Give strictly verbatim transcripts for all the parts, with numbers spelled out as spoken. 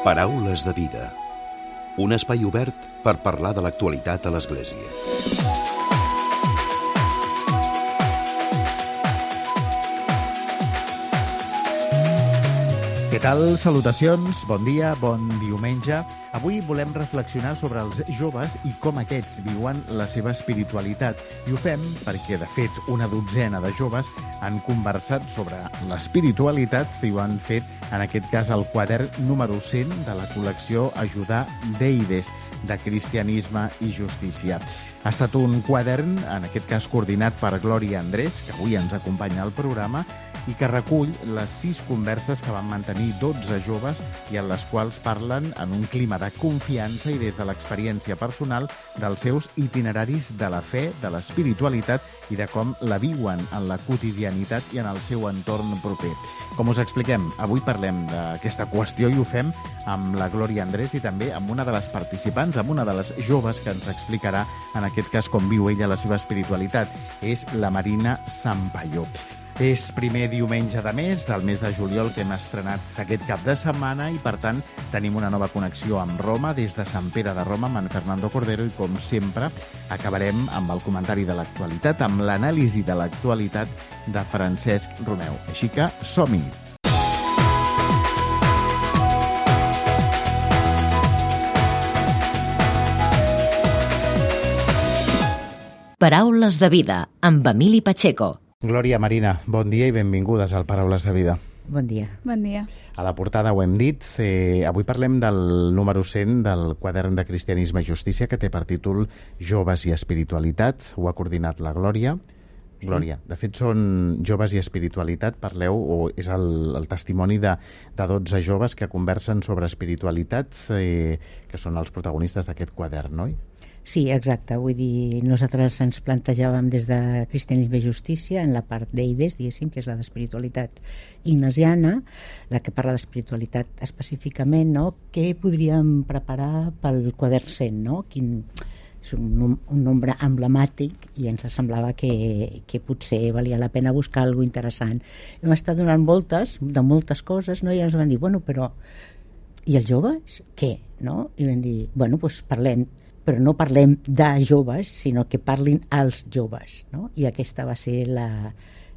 Paraules de vida. Un espai obert per parlar de l'actualitat a l'Església. Què tal? Salutacions, bon dia, bon diumenge. Avui volem reflexionar sobre els joves i com aquests viuen la seva espiritualitat. I ho fem perquè, de fet, una dotzena de joves han conversat sobre l'espiritualitat i ho han fet, en aquest cas, el quadern número cent de la col·lecció Ajudar d'Eides, de Cristianisme i Justícia. Ha estat un quadern, en aquest cas coordinat per Glòria Andrés, que avui ens acompanya al programa, i que recull les sis converses que van mantenir dotze joves i en les quals parlen en un clima de confiança i des de l'experiència personal dels seus itineraris de la fe, de l'espiritualitat i de com la viuen en la quotidianitat i en el seu entorn proper. Com us expliquem, avui parlem d'aquesta qüestió i ho fem amb la Glòria Andrés i també amb una de les participants, amb una de les joves que ens explicarà, en aquest cas, com viu ella la seva espiritualitat. És la Marina Sampaio. És primer diumenge de mes, del mes de juliol, que hem estrenat aquest cap de setmana i, per tant, tenim una nova connexió amb Roma, des de Sant Pere de Roma, amb en Fernando Cordero, i, com sempre, acabarem amb el comentari de l'actualitat, amb l'anàlisi de l'actualitat de Francesc Romeu. Així que som-hi! Paraules de vida, amb Emili Pacheco. Glòria, Marina, bon dia i benvingudes al Paraules de Vida. Bon dia. Bon dia. A la portada ho hem dit, eh, avui parlem del número cent del quadern de Cristianisme i Justícia, que té per títol Joves i Espiritualitat. Ho ha coordinat la Glòria. Sí. Glòria, de fet són Joves i Espiritualitat, parleu, o és el, el testimoni de, de dotze joves que conversen sobre espiritualitat, eh, que són els protagonistes d'aquest quadern, oi? Sí, exacte. Vull dir, nosaltres ens plantejàvem des de Cristianisme i Justícia en la part d'Eides, diguéssim, que és la d'espiritualitat ignasiana, la que parla d'espiritualitat específicament, no? Què podríem preparar pel quadern cent, no? Quin... És un, un nombre emblemàtic i ens semblava que, que potser valia la pena buscar alguna cosa interessant. Hem estat donant voltes, de moltes coses, no? I ens van dir, bueno, però... I els joves? Què? No? I vam dir, bueno, doncs parlem, però no parlem de joves, sinó que parlin als joves, no? I aquesta va ser la,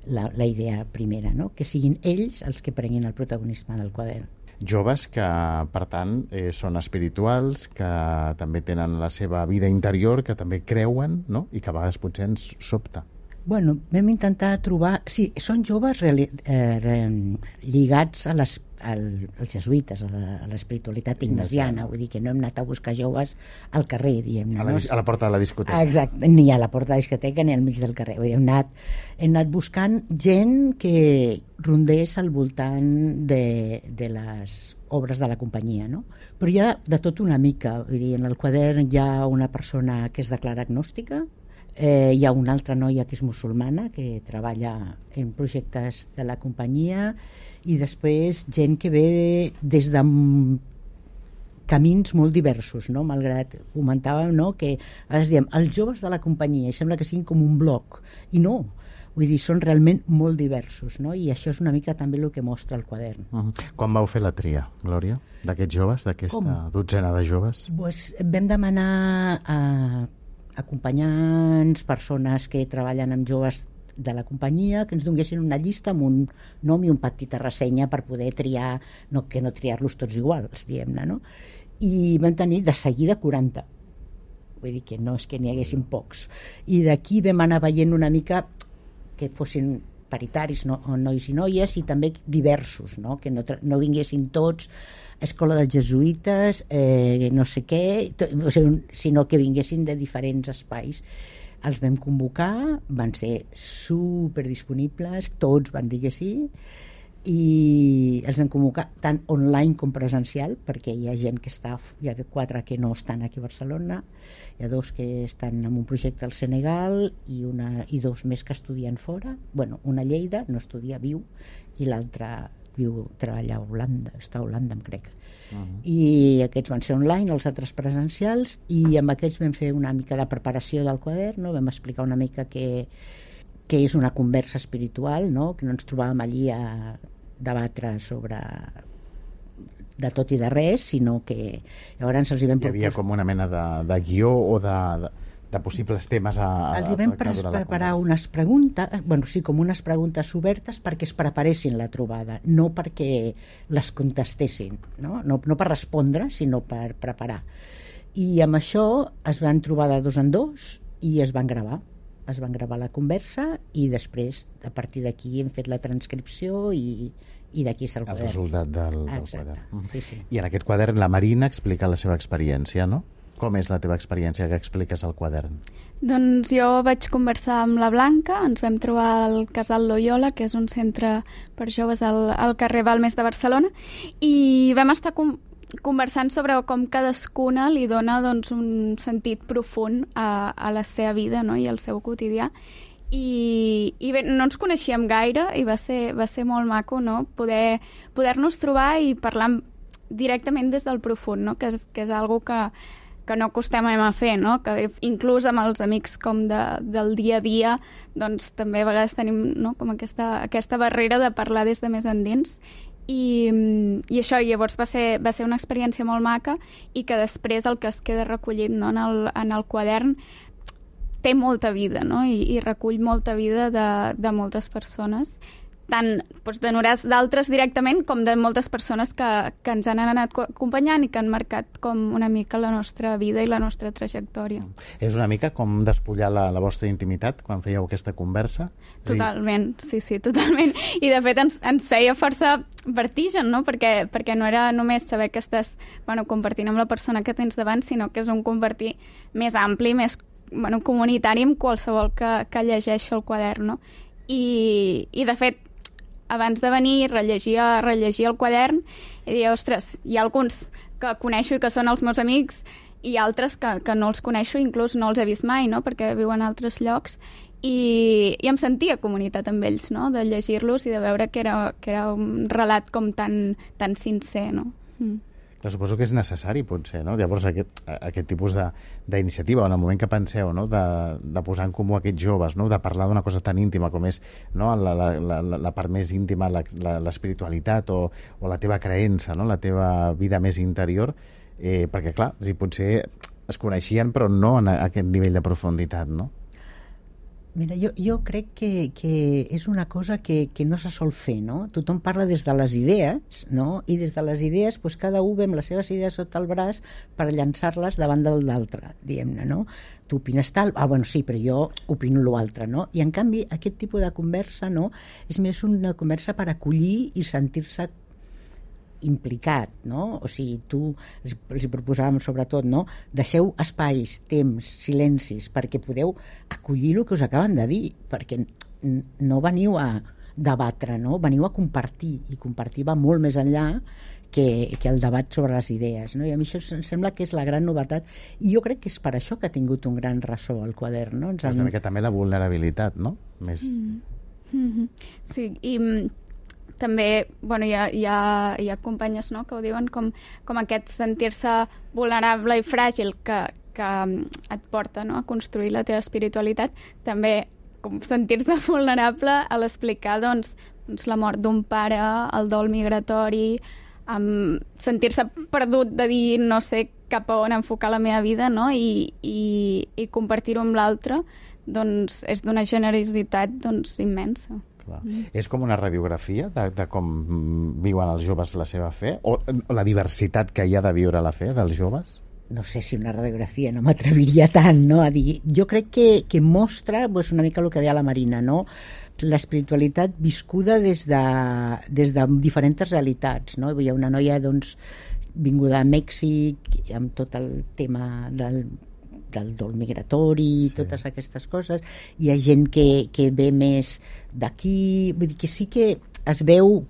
la, la idea primera, no? Que siguin ells els que prenguin el protagonisme del quadern. Joves que, per tant, eh, són espirituals, que també tenen la seva vida interior, que també creuen, no? I que a vegades potser ens sobta. Bueno, vam intentar trobar... Sí, són joves reali... eh, re... lligats a les al, als jesuïtes, a l'espiritualitat ignasiana, vull dir que no hem anat a buscar joves al carrer, diguem-ne. A la, a la porta de la discoteca. Exacte, ni a la porta de la discoteca ni al mig del carrer. Vull dir, hem, anat, hem anat buscant gent que rondés al voltant de, de les obres de la companyia, no? Però hi ha de tot una mica, vull dir, en el quadern hi ha una persona que es declara agnòstica, eh, hi ha una altra noia que és musulmana, que treballa en projectes de la companyia, i després gent que ve des de camins molt diversos, no? Malgrat comentàvem, no? Que a vegades diem els joves de la companyia i sembla que siguin com un bloc, i no, vull dir, són realment molt diversos, no? I això és una mica també el que mostra el quadern. Uh-huh. Quan vau fer la tria, Glòria, d'aquests joves, d'aquesta dotzena de joves? Pues vam demanar a acompanyants, persones que treballen amb joves de la companyia, que ens donguessin una llista amb un nom i una petita ressenya per poder triar, no, que no triar-los tots iguals, diguem-ne, no? I vam tenir de seguida quaranta. Vull dir que no és que n'hi haguessin pocs. I d'aquí vam anar veient una mica que fossin paritaris, no, nois i noies, i també diversos, no? Que no, no vinguessin tots escola dels jesuïtes, eh, no sé què, to, o sigui, sinó que vinguessin de diferents espais. Els vam convocar, van ser superdisponibles, tots van dir que sí, i els vam convocar tant online com presencial, perquè hi ha gent que està, hi ha quatre que no estan aquí a Barcelona, hi ha dos que estan en un projecte al Senegal i, una, i dos més que estudien fora, bueno, una a Lleida, no estudia, viu, i l'altra viu, treballa a Holanda, està a Holanda, em crec. Uh-huh. I aquests van ser online, els altres presencials, i amb aquests vam fer una mica de preparació del quadern, no? Vam explicar una mica que, que és una conversa espiritual, no? Que no ens trobàvem allí a debatre sobre de tot i de res, sinó que llavors els hi vam Hi havia com una mena de, de guió o de, de, de possibles temes a, a els hi vam pre preparar unes preguntes, bueno, sí, com unes preguntes obertes perquè es preparessin la trobada, no perquè les contestessin, no? No, no per respondre, sinó per preparar. I amb això es van trobar de dos en dos i es van gravar. Es van gravar la conversa i després, a partir d'aquí, hem fet la transcripció i, i d'aquí és el quadern. El resultat del, del Exacte. quadern. Sí, sí. I en aquest quadern la Marina explica la seva experiència, no? Com és la teva experiència que expliques al quadern? Doncs jo vaig conversar amb la Blanca, ens vam trobar al Casal Loyola, que és un centre per joves al, al carrer Balmes de Barcelona, i vam estar com conversant sobre com cadascuna li dona doncs, un sentit profund a, a la seva vida, no? I al seu quotidià. I, i bé, no ens coneixíem gaire i va ser, va ser molt maco, no? Poder, poder-nos trobar i parlar directament des del profund, no? Que és, que és algo que, que no acostumem a fer, no? Que inclús amb els amics com de, del dia a dia doncs també a vegades tenim, no? Com aquesta, aquesta barrera de parlar des de més endins. I, i això llavors va ser, va ser una experiència molt maca i que després el que es queda recollit, no? en, el, en el quadern té molta vida, no? I, i recull molta vida de, de moltes persones, tant doncs, de d'altres directament com de moltes persones que, que ens han anat acompanyant i que han marcat com una mica la nostra vida i la nostra trajectòria. És una mica com despullar la, la vostra intimitat quan fèieu aquesta conversa? Totalment, sí, sí, totalment. I de fet ens, ens feia força vertigen, no? Perquè, perquè no era només saber que estàs bueno, compartint amb la persona que tens davant, sinó que és un compartir més ampli, més bueno, comunitari amb qualsevol que, que llegeixi el quadern, no? I, i de fet, abans de venir, rellegia, rellegia el quadern i deia, ostres, hi ha alguns que coneixo i que són els meus amics i altres que, que no els coneixo, inclús no els he vist mai, no? Perquè viuen a altres llocs i, i em sentia comunitat amb ells, no? De llegir-los i de veure que era, que era un relat com tan, tan sincer, no? Mm. Clar, suposo que és necessari, potser, no? Llavors, aquest, aquest tipus d'iniciativa, en el moment que penseu, no? de, de posar en comú aquests joves, no? De parlar d'una cosa tan íntima com és no? la, la, la, la part més íntima, l'espiritualitat o, o la teva creença, no? La teva vida més interior, eh, perquè, clar, o sigui, potser es coneixien, però no en aquest nivell de profunditat, no? Mira, jo, jo crec que, que és una cosa que, que no se sol fer, no? Tothom parla des de les idees, no? I des de les idees, doncs, cada un ve amb les seves idees sota el braç per llançar-les davant del d'altre, diguem-ne, no? Tu opines tal, ah, bueno, sí, però jo opino l'altre, no? I, en canvi, aquest tipus de conversa, no? És més una conversa per acollir i sentir-se implicat, no? O sigui, tu, els, els proposàvem sobretot, no? Deixeu espais, temps, silencis, perquè podeu acollir el que us acaben de dir, perquè no veniu a debatre, no? Veniu a compartir, i compartir va molt més enllà que, que el debat sobre les idees, no? I a mi això em sembla que és la gran novetat, i jo crec que és per això que ha tingut un gran ressò el quadern, no? Ens han... És una mica també la vulnerabilitat, no? Més... Mm. Mm-hmm. Sí, i també bueno, hi, ha, hi, ha, hi ha companyes, no? Que ho diuen com, com aquest sentir-se vulnerable i fràgil que, que et porta, no? A construir la teva espiritualitat, també com sentir-se vulnerable a l'explicar doncs, doncs, la mort d'un pare, el dol migratori, um, sentir-se perdut de dir no sé cap a on enfocar la meva vida, no? I, i, i compartir-ho amb l'altre doncs, és d'una generositat doncs, immensa. Mm. És com una radiografia de, de com viuen els joves la seva fe? O, o la diversitat que hi ha de viure la fe dels joves? No sé si una radiografia, no m'atreviria tant, no? A dir, jo crec que, que mostra pues, una mica el que deia la Marina, no? L'espiritualitat viscuda des de, des de diferents realitats, no? Hi ha una noia doncs, vinguda a Mèxic amb tot el tema del del dol migratori, sí. Totes aquestes coses. Hi ha gent que, que ve més d'aquí, vull dir que sí que es veu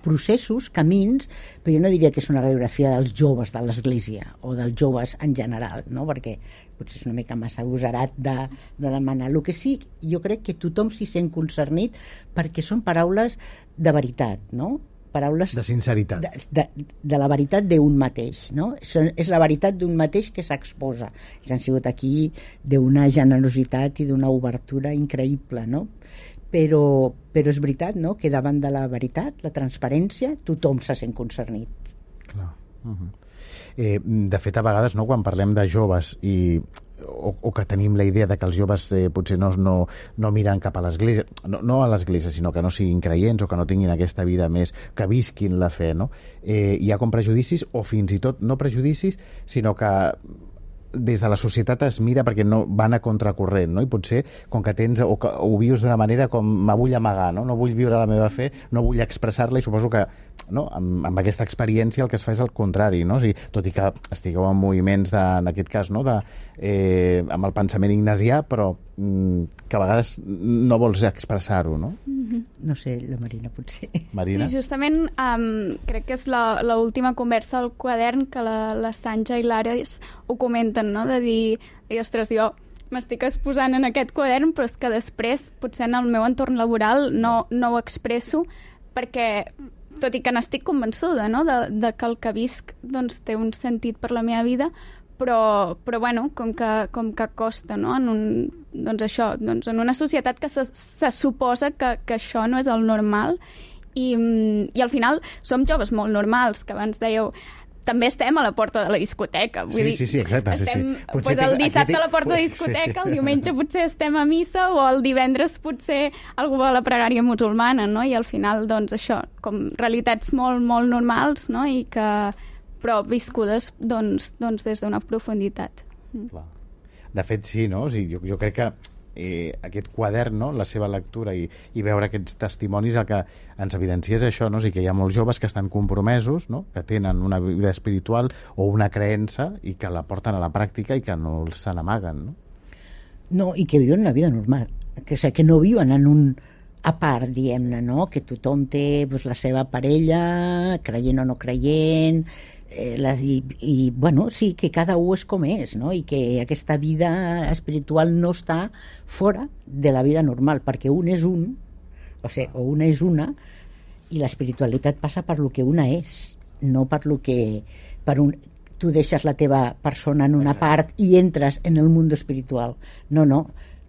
processos, camins, però jo no diria que és una radiografia dels joves de l'Església o dels joves en general, no? Perquè potser és una mica massa agosarat de, de demanar. El que sí, jo crec que tothom s'hi sent concernit perquè són paraules de veritat, no? Paraules de sinceritat, de, de, de la veritat d'un mateix, no? Són, és la veritat d'un mateix que s'exposa. Ells han sigut aquí d'una generositat i d'una obertura increïble, no? Però, però és veritat, no?, que davant de la veritat, la transparència, tothom se sent concernit. Clar. Uh-huh. Eh, de fet, a vegades, no, quan parlem de joves i o, o que tenim la idea de que els joves eh, potser no, no, no miren cap a l'església, no, no a l'església, sinó que no siguin creients o que no tinguin aquesta vida més, que visquin la fe, no? Eh, hi ha com prejudicis, o fins i tot no prejudicis, sinó que des de la societat es mira perquè no van a contracorrent, no? I potser, com que tens, o que ho vius d'una manera com me vull amagar, no? No vull viure la meva fe, no vull expressar-la, i suposo que, no? amb, amb aquesta experiència el que es fa és el contrari, no? O sigui, tot i que estigueu en moviments, de, en aquest cas, no? de, eh, amb el pensament ignasià, però mm, que a vegades no vols expressar-ho, no? Mm-hmm. No sé, la Marina, potser. Marina? Sí, justament um, crec que és l'última conversa al quadern que la, la Sanja i l'Ares ho comenten, no? De dir, dir ostres, jo m'estic exposant en aquest quadern, però és que després, potser en el meu entorn laboral, no, no ho expresso perquè, tot i que n'estic convençuda, no? de, de que el que visc doncs, té un sentit per la meva vida, però, però bueno, com que, com que costa, no? En, un, doncs això, doncs en una societat que se, se suposa que, que això no és el normal, i, i al final som joves molt normals, que abans dèieu també estem a la porta de la discoteca. Vull sí, dir, sí, sí, exacte. estem, sí, sí. Potser pues el té, dissabte té... a la porta de la discoteca, sí, sí. El diumenge potser estem a missa, o el divendres potser algú va a la pregària musulmana, no? I al final, doncs, això, com realitats molt, molt normals, no? I que, però viscudes, doncs, doncs des d'una profunditat. Clar. De fet, sí, no? O sigui, jo, jo crec que eh, aquest quadern, no? La seva lectura i, i veure aquests testimonis, el que ens evidencia és això, no? O sigui, que hi ha molts joves que estan compromesos, no? Que tenen una vida espiritual o una creença i que la porten a la pràctica i que no se n'amaguen, no? No, i que viuen una vida normal, que, o sigui, que no viuen en un a part, diguem-ne, no? Que tothom té doncs, la seva parella, creient o no creient, eh, les, i, i, bueno, sí, que cada un és com és, no? I que aquesta vida espiritual no està fora de la vida normal, perquè un és un, o sigui, o una és una, i l'espiritualitat passa per lo que una és, no per lo que... Per un, tu deixes la teva persona en una Exacte. Part i entres en el món espiritual. No, no,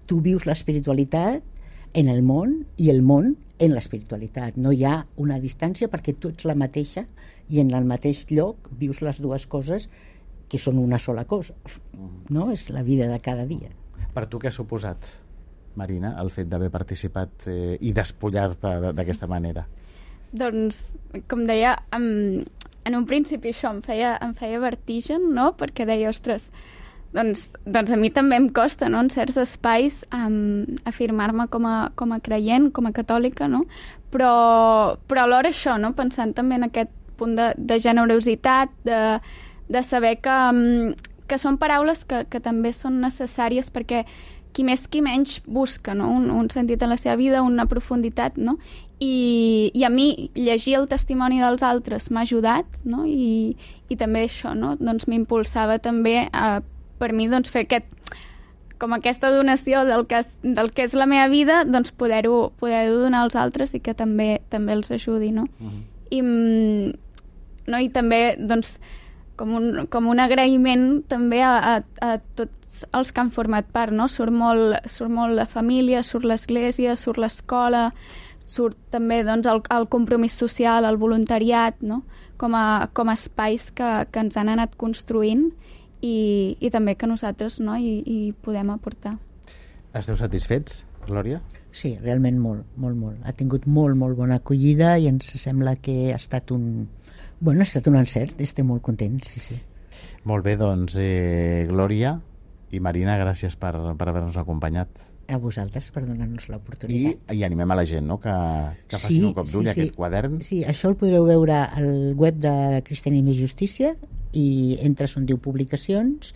tu vius l'espiritualitat en el món i el món en l'espiritualitat. No hi ha una distància perquè tu ets la mateixa i en el mateix lloc vius les dues coses que són una sola cosa. No? És la vida de cada dia. Per tu què ha suposat, Marina, el fet d'haver participat eh, i despullar-te d'aquesta manera? Doncs, com deia, en, en un principi això em feia, em feia vertigen, no? Perquè deia, ostres, doncs, doncs a mi també em costa, no? En certs espais um, afirmar-me com a, com a creient, com a catòlica, no? Però, però alhora això, no? Pensant també en aquest punt de, de generositat, de, de saber que, um, que són paraules que, que també són necessàries perquè qui més qui menys busca, no? un, un sentit en la seva vida, una profunditat, no? I, i a mi llegir el testimoni dels altres m'ha ajudat, no? I, i també això, no? Doncs m'impulsava també a, per mi doncs, fer aquest, com aquesta donació del que és, del que és la meva vida, doncs poder-ho poder donar als altres i que també també els ajudi, no? Uh-huh. I, no? I també doncs, com un, com un agraïment també a, a, a tots els que han format part, no? Surt molt, surt molt la família, surt l'església, surt l'escola, surt també doncs, el, el compromís social, el voluntariat, no? Com a, com a espais que, que ens han anat construint i, i també que nosaltres, no? I, i podem aportar. Esteu satisfets, Glòria? Sí, realment molt, molt, molt. Ha tingut molt, molt bona acollida i ens sembla que ha estat un... Bueno, ha estat un encert, estem molt contents, sí, sí. Molt bé, doncs, eh, Glòria i Marina, gràcies per, per haver-nos acompanyat. A vosaltres per donar-nos l'oportunitat. I, I animem a la gent, no?, que, que facin sí, un cop d'ull sí, a sí. aquest quadern. Sí, això el podreu veure al web de Cristianisme i Justícia i entres on diu publicacions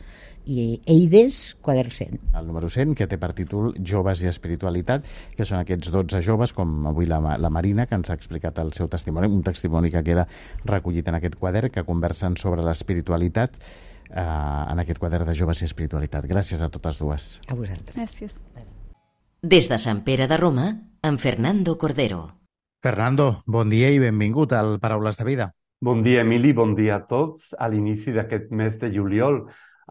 i Eides, quadern cent. El número cent, que té per títol Joves i espiritualitat, que són aquests dotze joves, com avui la, la Marina, que ens ha explicat el seu testimoni, un testimoni que queda recollit en aquest quadern, que conversen sobre l'espiritualitat eh, en aquest quadern de Joves i espiritualitat. Gràcies a totes dues. A vosaltres. Gràcies. Des de Sant Pere de Roma, amb Fernando Cordero. Fernando, bon dia i benvingut al Paraules de Vida. Bon dia, Emili, bon dia a tots. A l'inici d'aquest mes de juliol,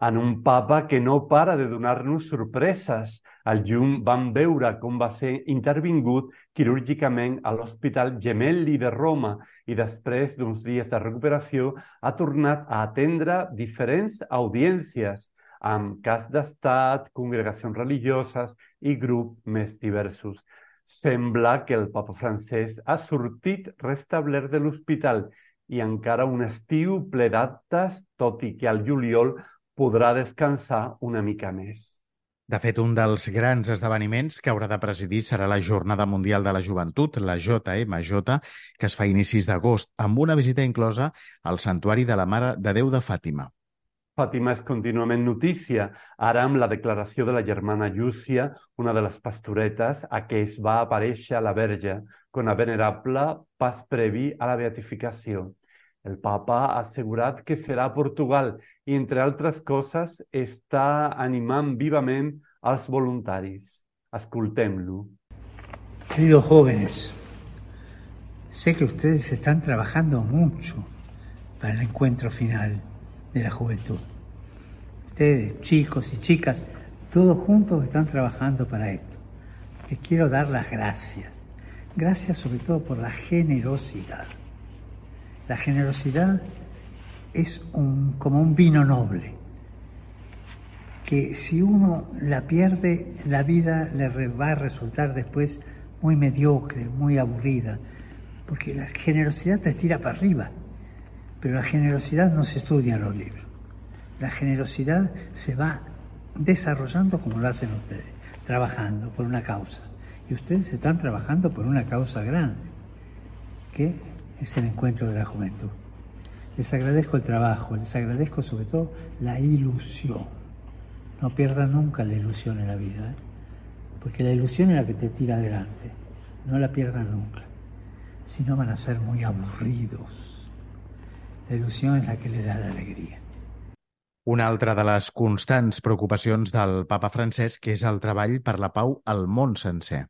en un papa que no para de donar-nos sorpreses. Al juny vam veure com va ser intervingut quirúrgicament a l'Hospital Gemelli de Roma i després d'uns dies de recuperació ha tornat a atendre diferents audiències amb cas d'estat, congregacions religioses i grups més diversos. Sembla que el papa francès ha sortit restablert de l'hospital i encara un estiu ple d'actes, tot i que al juliol podrà descansar una mica més. De fet, un dels grans esdeveniments que haurà de presidir serà la Jornada Mundial de la Joventut, la J M J, que es fa a inicis d'agost, amb una visita inclosa al Santuari de la Mare de Déu de Fàtima. Fàtima és contínuament notícia, ara amb la declaració de la germana Llúcia, una de les pastoretes a què es va aparèixer la Verge, com a venerable pas previ a la beatificació. El papa ha assegurat que serà a Portugal i, entre altres coses, està animant vivament als voluntaris. Escoltem-lo. Queridos jóvenes, sé que ustedes están trabajando mucho para el encuentro final de la juventud. Ustedes, chicos y chicas, todos juntos están trabajando para esto. Les quiero dar las gracias. Gracias sobre todo por la generosidad. La generosidad es un, como un vino noble, que si uno la pierde, la vida le va a resultar después muy mediocre, muy aburrida, porque la generosidad te tira para arriba, pero la generosidad no se estudia en los libros. La generosidad se va desarrollando como lo hacen ustedes, trabajando por una causa. Y ustedes están trabajando por una causa grande, que es el encuentro de la juventud. Les agradezco el trabajo, les agradezco sobre todo la ilusión. No pierdan nunca la ilusión en la vida, ¿eh? Porque la ilusión es la que te tira adelante. No la pierdan nunca. Si no van a ser muy aburridos. La ilusión es la que le da la alegría. Una altra de les constants preocupacions del papa Francesc és el treball per la pau al món sencer.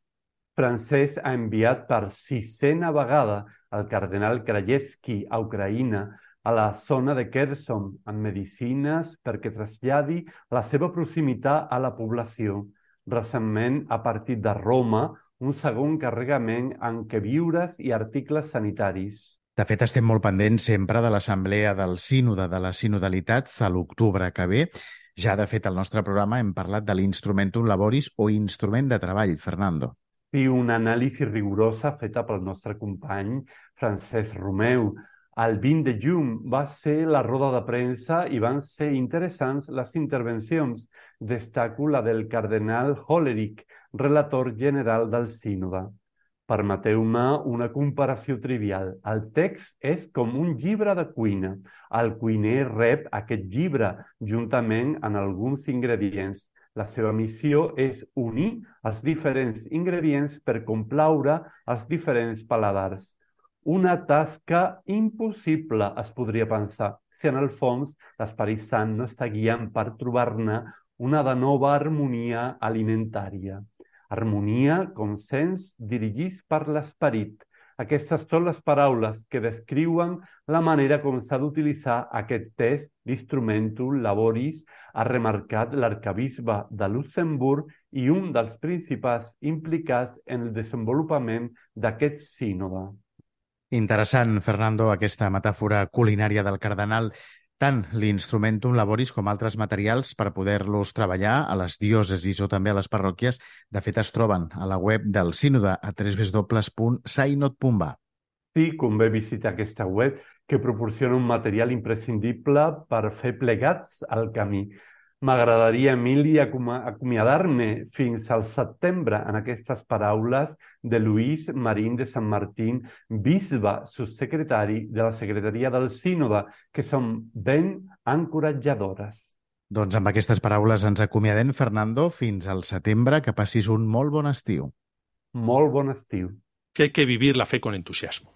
Francesc ha enviat per sisena vegada el cardenal Krajewski a Ucraïna, a la zona de Kherson, amb medicines perquè traslladi la seva proximitat a la població. Recentment ha partit de Roma un segon carregament amb queviures i articles sanitaris. De fet, estem molt pendents sempre de l'assemblea del Sínode de la Sinodalitat a l'octubre que ve. Ja, de fet, al nostre programa hem parlat de l'Instrumentum Laboris o instrument de treball, Fernando. I una anàlisi rigorosa feta pel nostre company Francesc Romeu. El vint de juny va ser la roda de premsa i van ser interessants les intervencions. Destaco la del cardenal Hollerich, relator general del Sínode. Permeteu-me una comparació trivial. El text és com un llibre de cuina. El cuiner rep aquest llibre juntament amb alguns ingredients. La seva missió és unir els diferents ingredients per complaure els diferents paladars. Una tasca impossible, es podria pensar, si en el fons l'Esperit Sant no està guiant per trobar-ne una de nova harmonia alimentària. Harmonia, consens, dirigits per l'Esperit. Aquestes són les paraules que descriuen la manera com s'ha d'utilitzar aquest text d'Instrumentum Laboris, ha remarcat l'arcabisbe de Luxemburg i un dels principals implicats en el desenvolupament d'aquest sínode. Interessant, Fernando, aquesta metàfora culinària del cardenal. Tant l'Instrumentum Laboris com altres materials per poder-los treballar a les diòcesis o també a les parròquies, de fet es troben a la web del Sínode a w w w punt synod punt b a. Sí, convé visitar aquesta web que proporciona un material imprescindible per fer plegats al camí. M'agradaria, Emili, acomiadar-me fins al setembre en aquestes paraules de Luis Marín de Sant Martín, bisbe subsecretari de la Secretaria del Sínode, que són ben encoratjadores. Doncs amb aquestes paraules ens acomiadem, Fernando, fins al setembre. Que passis un molt bon estiu. Molt bon estiu. Que hay que vivir la fe con entusiasmo.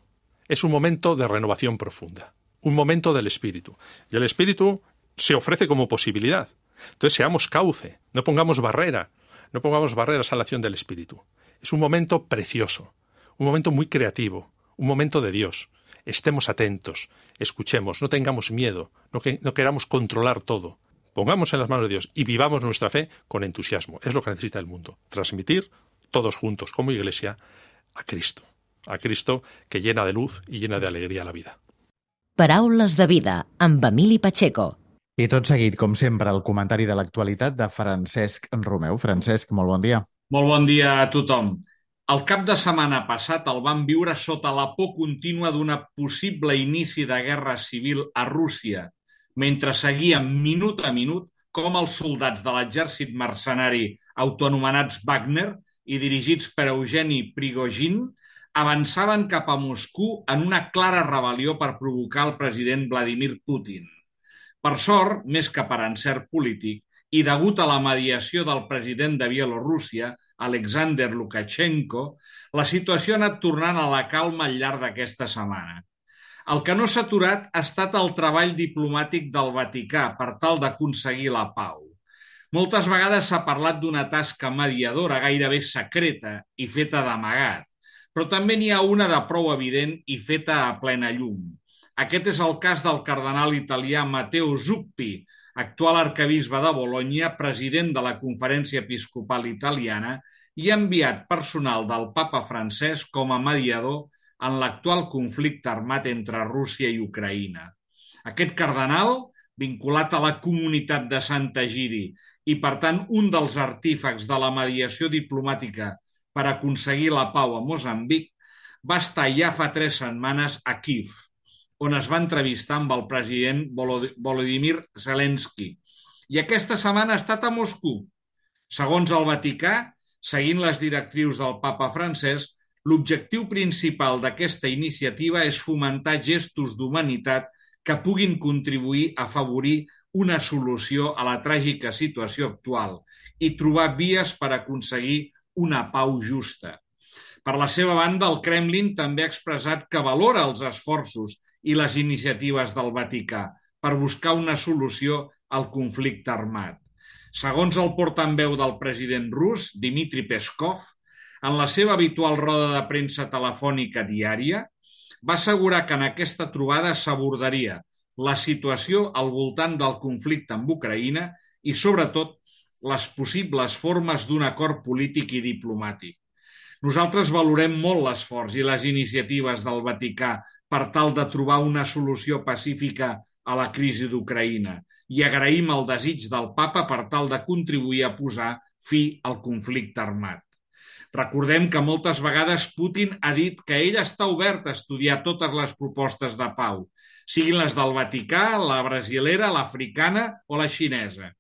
Es un momento de renovación profunda, un momento del espíritu. Y el espíritu se ofrece como posibilidad. Entonces seamos cauce, no pongamos barrera, no pongamos barreras a la acción del Espíritu. Es un momento precioso, un momento muy creativo, un momento de Dios. Estemos atentos, escuchemos, no tengamos miedo, no, que, no queramos controlar todo. Pongamos en las manos de Dios y vivamos nuestra fe con entusiasmo. Es lo que necesita el mundo. Transmitir todos juntos como Iglesia a Cristo. A Cristo que llena de luz y llena de alegría la vida. Paraules de vida amb Emili Pacheco. I tot seguit, com sempre, el comentari de l'actualitat de Francesc Romeu. Francesc, molt bon dia. Molt bon dia a tothom. El cap de setmana passat el vam viure sota la por contínua d'una possible inici de guerra civil a Rússia, mentre seguíem minut a minut com els soldats de l'exèrcit mercenari autoanomenats Wagner i dirigits per Eugeni Prigozhin avançaven cap a Moscou en una clara rebel·lió per provocar el president Vladimir Putin. Per sort, més que per encert polític, i degut a la mediació del president de Bielorússia, Alexander Lukashenko, la situació ha anat tornant a la calma al llarg d'aquesta setmana. El que no s'ha aturat ha estat el treball diplomàtic del Vaticà per tal d'aconseguir la pau. Moltes vegades s'ha parlat d'una tasca mediadora gairebé secreta i feta d'amagat, però també n'hi ha una de prou evident i feta a plena llum. Aquest és el cas del cardenal italià Matteo Zuppi, actual arquebisbe de Bologna, president de la Conferència Episcopal Italiana i enviat personal del papa Francesc com a mediador en l'actual conflicte armat entre Rússia i Ucraïna. Aquest cardenal, vinculat a la comunitat de Sant'Egidi i, per tant, un dels artífecs de la mediació diplomàtica per aconseguir la pau a Moçambic, va estar ja fa tres setmanes a Kíev, on es va entrevistar amb el president Volodymyr Zelensky. I aquesta setmana ha estat a Moscou. Segons el Vaticà, seguint les directrius del papa Francesc, l'objectiu principal d'aquesta iniciativa és fomentar gestos d'humanitat que puguin contribuir a afavorir una solució a la tràgica situació actual i trobar vies per aconseguir una pau justa. Per la seva banda, el Kremlin també ha expressat que valora els esforços i les iniciatives del Vaticà per buscar una solució al conflicte armat. Segons el portaveu del president rus, Dmitry Peskov, en la seva habitual roda de premsa telefònica diària, va assegurar que en aquesta trobada s'abordaria la situació al voltant del conflicte amb Ucraïna i, sobretot, les possibles formes d'un acord polític i diplomàtic. Nosaltres valorem molt l'esforç i les iniciatives del Vaticà per tal de trobar una solució pacífica a la crisi d'Ucraïna i agraïm el desig del papa per tal de contribuir a posar fi al conflicte armat. Recordem que moltes vegades Putin ha dit que ell està obert a estudiar totes les propostes de pau, siguin les del Vaticà, la brasilera, l'africana o la xinesa,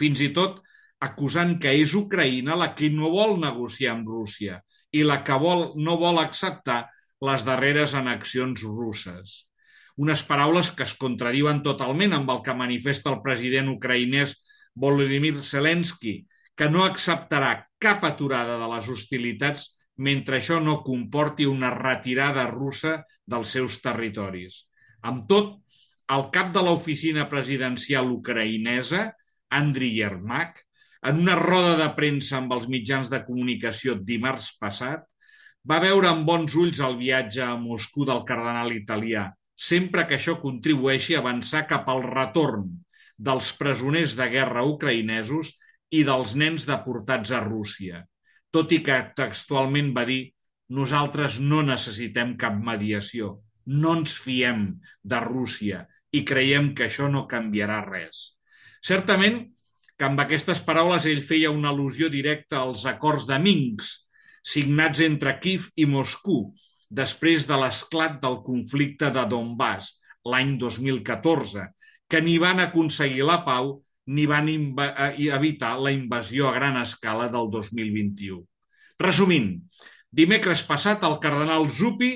fins i tot acusant que és Ucraïna la que no vol negociar amb Rússia i la que vol, no vol acceptar les darreres annexions russes. Unes paraules que es contradiuen totalment amb el que manifesta el president ucraïnès Volodymyr Zelensky, que no acceptarà cap aturada de les hostilitats mentre això no comporti una retirada russa dels seus territoris. Amb tot, el cap de l'oficina presidencial ucraïnesa, Andriy Yermak, en una roda de premsa amb els mitjans de comunicació dimarts passat, va veure amb bons ulls el viatge a Moscou del cardenal italià, sempre que això contribueixi a avançar cap al retorn dels presoners de guerra ucraïnesos i dels nens deportats a Rússia, tot i que textualment va dir «Nosaltres no necessitem cap mediació, no ens fiem de Rússia i creiem que això no canviarà res». Certament que amb aquestes paraules ell feia una al·lusió directa als acords de Minsk, signats entre Kíev i Moscou, després de l'esclat del conflicte de Donbass l'any dos mil catorze, que ni van aconseguir la pau ni van evitar la invasió a gran escala del dos mil vint-i-u. Resumint, dimecres passat el cardenal Zuppi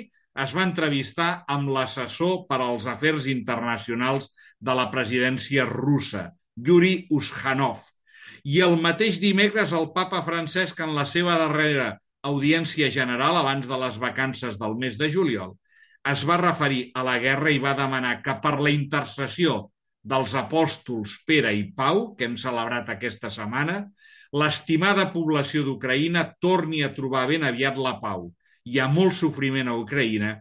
es va entrevistar amb l'assessor per als afers internacionals de la presidència russa, Yuri Uzhanov, i el mateix dimecres el papa Francesc, en la seva darrera audiència general abans de les vacances del mes de juliol, es va referir a la guerra i va demanar que per la intercessió dels apòstols Pere i Pau, que hem celebrat aquesta setmana, l'estimada població d'Ucraïna torni a trobar ben aviat la pau. Hi ha molt sofriment a Ucraïna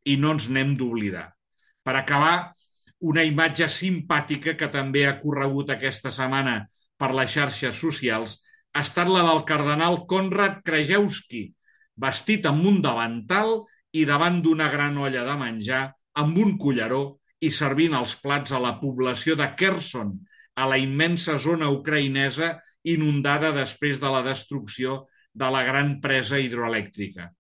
i no ens n'hem d'oblidar. Per acabar, Una imatge simpàtica que també ha corregut aquesta setmana per les xarxes socials ha estat la del cardenal Konrad Krajewski, vestit amb un davantal i davant d'una gran olla de menjar, amb un culleró i servint els plats a la població de Kherson, a la immensa zona ucraïnesa inundada després de la destrucció de la gran presa hidroelèctrica.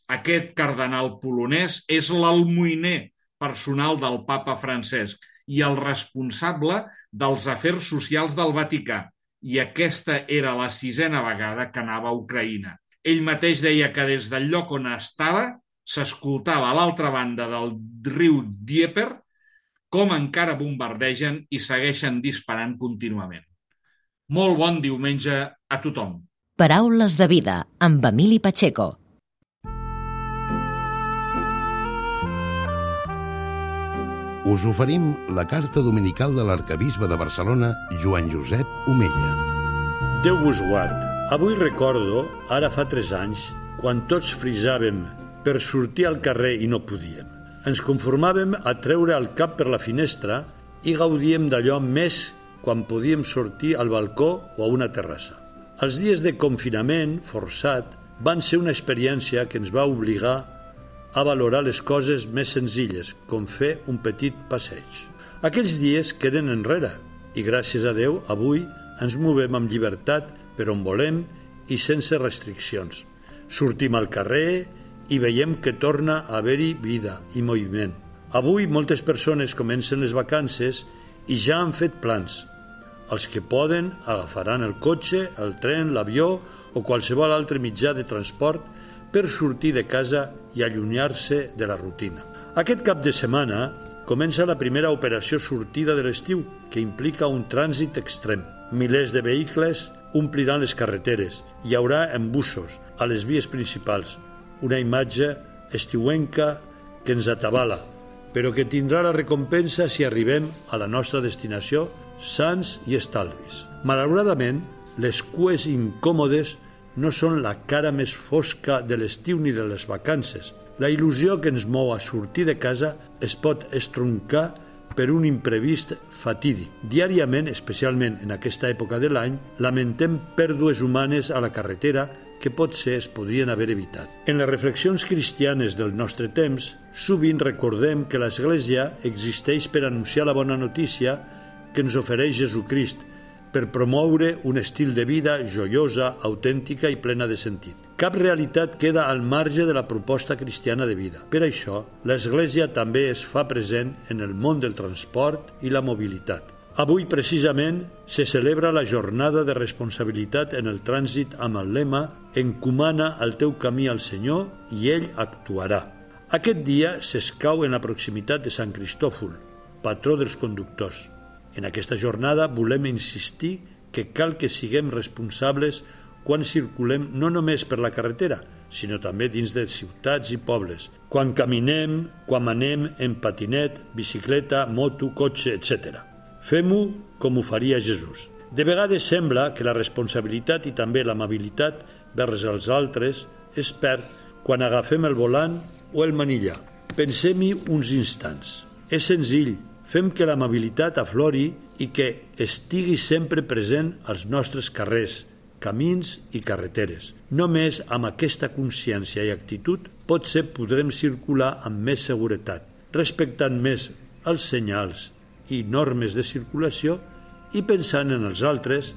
Aquest cardenal polonès és l'almoiner personal del papa Francesc i el responsable dels afers socials del Vaticà, i aquesta era la sisena vegada que anava a Ucraïna. Ell mateix deia que des del lloc on estava s'escoltava a l'altra banda del riu Dnieper com encara bombardegen i segueixen disparant contínuament. Molt bon diumenge a tothom. Paraules de vida, amb Emili Pacheco. Us oferim la carta dominical de l'arcabisbe de Barcelona, Joan Josep Omella. Déu vos guard. Avui recordo, ara fa tres anys, quan tots frisàvem per sortir al carrer i no podíem. Ens conformàvem a treure el cap per la finestra i gaudíem d'allò més quan podíem sortir al balcó o a una terrassa. Els dies de confinament forçat van ser una experiència que ens va obligar a valorar les coses més senzilles, com fer un petit passeig. Aquells dies queden enrere i, gràcies a Déu, avui ens movem amb llibertat per on volem i sense restriccions. Sortim al carrer i veiem que torna a haver-hi vida i moviment. Avui moltes persones comencen les vacances i ja han fet plans. Els que poden agafaran el cotxe, el tren, l'avió o qualsevol altre mitjà de transport per sortir de casa i allunyar-se de la rutina. Aquest cap de setmana comença la primera operació sortida de l'estiu, que implica un trànsit extrem. Milers de vehicles ompliran les carreteres. Hi haurà embussos a les vies principals. Una imatge estiuenca que ens atabala, però que tindrà la recompensa si arribem a la nostra destinació sans i estalvis. Malauradament, les cues incòmodes no són la cara més fosca de l'estiu ni de les vacances. La il·lusió que ens mou a sortir de casa es pot estroncar per un imprevist fatídic. Diàriament, especialment en aquesta època de l'any, lamentem pèrdues humanes a la carretera que potser es podrien haver evitat. En les reflexions cristianes del nostre temps, sovint recordem que l'Església existeix per anunciar la bona notícia que ens ofereix Jesucrist, per promoure un estil de vida joiosa, autèntica i plena de sentit. Cap realitat queda al marge de la proposta cristiana de vida. Per això, l'Església també es fa present en el món del transport i la mobilitat. Avui, precisament, se celebra la jornada de responsabilitat en el trànsit amb el lema «Encomana el teu camí al Senyor i ell actuarà». Aquest dia s'escau en la proximitat de Sant Cristòfol, patró dels conductors. En aquesta jornada volem insistir que cal que siguem responsables quan circulem no només per la carretera, sinó també dins de ciutats i pobles, quan caminem, quan anem en patinet, bicicleta, moto, cotxe, etcètera. Fem-ho com ho faria Jesús. De vegades sembla que la responsabilitat i també l'amabilitat vers els altres es perd quan agafem el volant o el manillar. Pensem-hi uns instants. És senzill. Fem que l'amabilitat aflori i que estigui sempre present als nostres carrers, camins i carreteres. Només amb aquesta consciència i actitud potser podrem circular amb més seguretat, respectant més els senyals i normes de circulació i pensant en els altres,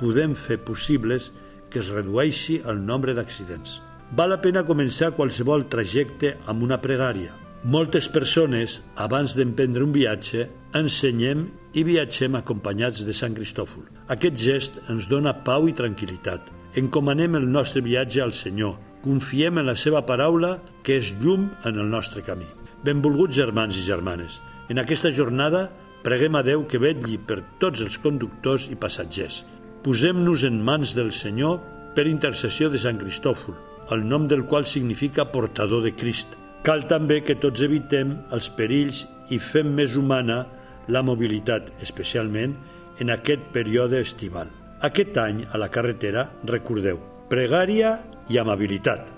podem fer possibles que es redueixi el nombre d'accidents. Val la pena començar qualsevol trajecte amb una pregària. Moltes persones, abans d'emprendre un viatge, ensenyem i viatgem acompanyats de Sant Cristòfol. Aquest gest ens dona pau i tranquil·litat. Encomanem el nostre viatge al Senyor. Confiem en la seva paraula, que és llum en el nostre camí. Benvolguts germans i germanes, en aquesta jornada preguem a Déu que vetlli per tots els conductors i passatgers. Posem-nos en mans del Senyor per intercessió de Sant Cristòfol, el nom del qual significa portador de Crist. Cal també que tots evitem els perills i fem més humana la mobilitat, especialment en aquest període estival. Aquest any, a la carretera, recordeu, pregària i amabilitat.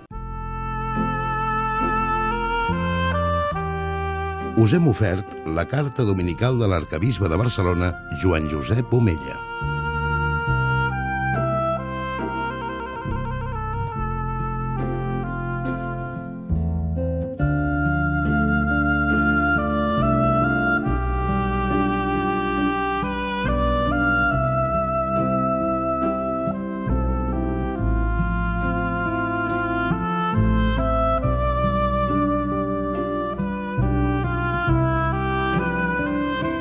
us hem ofert la carta dominical de l'arquebisbe de Barcelona, Joan Josep Omella.